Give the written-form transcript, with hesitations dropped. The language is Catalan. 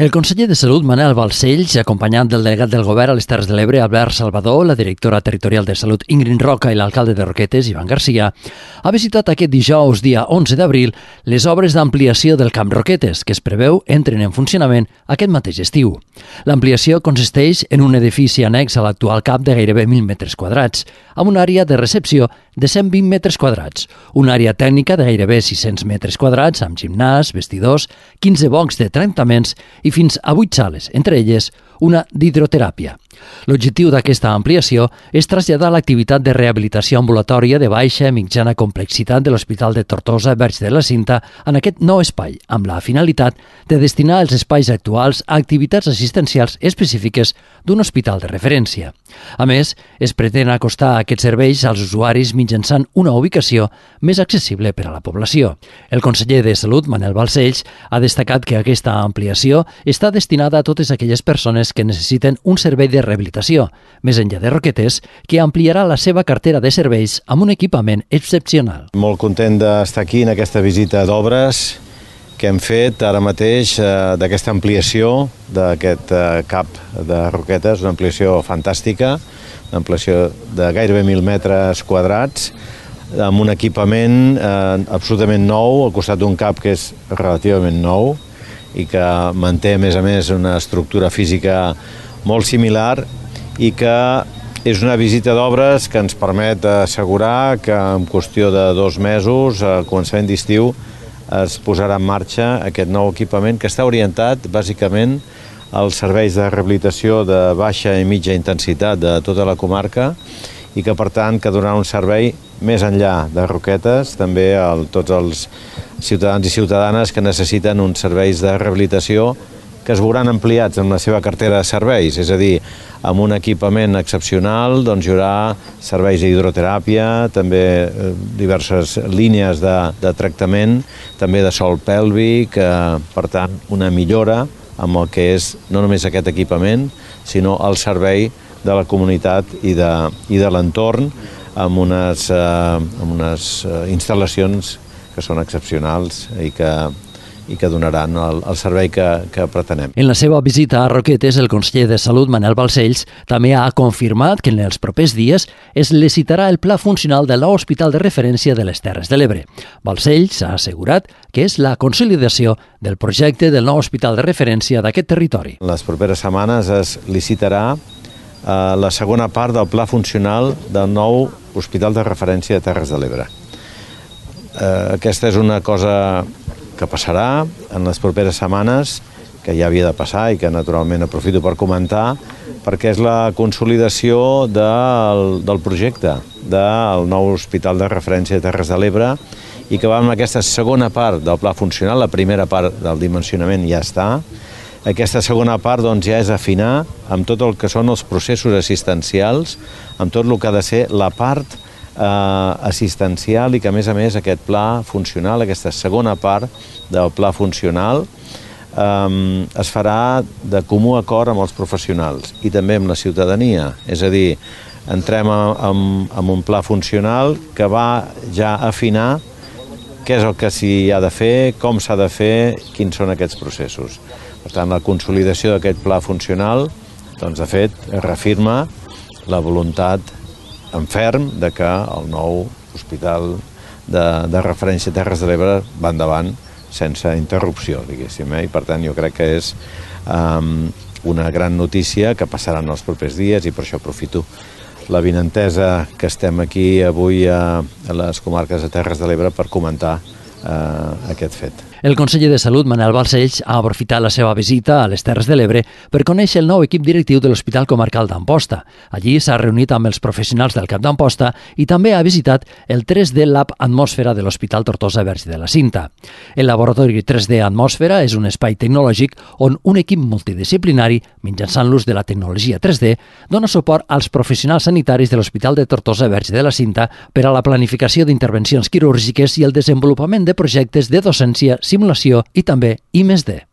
El conseller de Salut, Manel Balcells, acompanyat del delegat del Govern a les Terres de l'Ebre, Albert Salvador, la directora territorial de Salut, Ingrid Roca, i l'alcalde de Roquetes, Ivan Garcia, ha visitat aquest dijous, dia 11 d'abril, les obres d'ampliació del Camp Roquetes, que es preveu entren en funcionament aquest mateix estiu. L'ampliació consisteix en un edifici annex a l'actual CAP de gairebé 1.000 metres quadrats, amb una àrea de recepció de 120 metres quadrats, una àrea tècnica de gairebé 600 metres quadrats, amb gimnàs, vestidors, 15 boxs de tractaments i fins a 8 sales, entre elles una d'hidroteràpia. L'objectiu d'aquesta ampliació és traslladar l'activitat de rehabilitació ambulatòria de baixa i mitjana complexitat de l'Hospital de Tortosa Verge de la Cinta en aquest nou espai, amb la finalitat de destinar els espais actuals a activitats assistencials específiques d'un hospital de referència. A més, es pretén acostar aquests serveis als usuaris mitjançant una ubicació més accessible per a la població. El conseller de Salut, Manel Balcells, ha destacat que aquesta ampliació està destinada a totes aquelles persones que necessiten un servei de rehabilitació, més enllà de Roquetes, que ampliarà la seva cartera de serveis amb un equipament excepcional. Molt content d'estar aquí en aquesta visita d'obres que hem fet ara mateix d'aquesta ampliació d'aquest CAP de Roquetes, una ampliació fantàstica, una ampliació de gairebé 1.000 metres quadrats, amb un equipament absolutament nou, al costat d'un CAP que és relativament nou i que manté, a més, una estructura física molt similar i que és una visita d'obres que ens permet assegurar que en qüestió de 2 mesos, a començament d'estiu, es posarà en marxa aquest nou equipament que està orientat bàsicament als serveis de rehabilitació de baixa i mitja intensitat de tota la comarca i que, per tant, que donarà un servei més enllà de Roquetes, també a tots els ciutadans i ciutadanes que necessiten uns serveis de rehabilitació que es veuran ampliats en la seva cartera de serveis, és a dir, amb un equipament excepcional doncs hi haurà serveis d'hidroteràpia, també diverses línies de tractament, també de sòl pèlvic, per tant, una millora amb el que és no només aquest equipament, sinó el servei de la comunitat i de l'entorn amb unes instal·lacions que són excepcionals i que donaran el servei que pretenem. En la seva visita a Roquetes, el conseller de Salut, Manel Balcells, també ha confirmat que en els propers dies es licitarà el pla funcional del nou hospital de referència de les Terres de l'Ebre. Balcells ha assegurat que és la consolidació del projecte del nou hospital de referència d'aquest territori. En les properes setmanes es licitarà la segona part del pla funcional del nou hospital de referència de Terres de l'Ebre. Aquesta és una cosa que passarà en les properes setmanes, que ja havia de passar i que naturalment aprofito per comentar, perquè és la consolidació del projecte del nou hospital de referència de Terres de l'Ebre i que va amb aquesta segona part del pla funcional, la primera part del dimensionament ja està. Aquesta segona part doncs, ja és afinar amb tot el que són els processos assistencials, amb tot el que ha de ser la part assistencial i que, a més, aquest pla funcional, aquesta segona part del pla funcional, es farà de comú acord amb els professionals i també amb la ciutadania. És a dir, entrem en un pla funcional que va ja afinar què és el que s'hi ha de fer, com s'ha de fer, quins són aquests processos. Per tant, la consolidació d'aquest pla funcional, doncs, de fet, reafirma la voluntat en ferm de que el nou hospital de referència a Terres de l'Ebre va endavant sense interrupció, diguéssim. I per tant jo crec que és una gran notícia que passarà en els propers dies i per això aprofito l'avinentesa que estem aquí avui a les comarques de Terres de l'Ebre per comentar aquest fet. El conseller de Salut, Manel Balcells, ha aprofitat la seva visita a les Terres de l'Ebre per conèixer el nou equip directiu de l'Hospital Comarcal d'Amposta. Allí s'ha reunit amb els professionals del CAP d'Amposta i també ha visitat el 3D Lab Atmosfera de l'Hospital Tortosa Verge de la Cinta. El laboratori 3D Atmosfera és un espai tecnològic on un equip multidisciplinari, mitjançant l'ús de la tecnologia 3D, dona suport als professionals sanitaris de l'Hospital de Tortosa Verge de la Cinta per a la planificació d'intervencions quirúrgiques i el desenvolupament de projectes de docència, simulació i també I+D.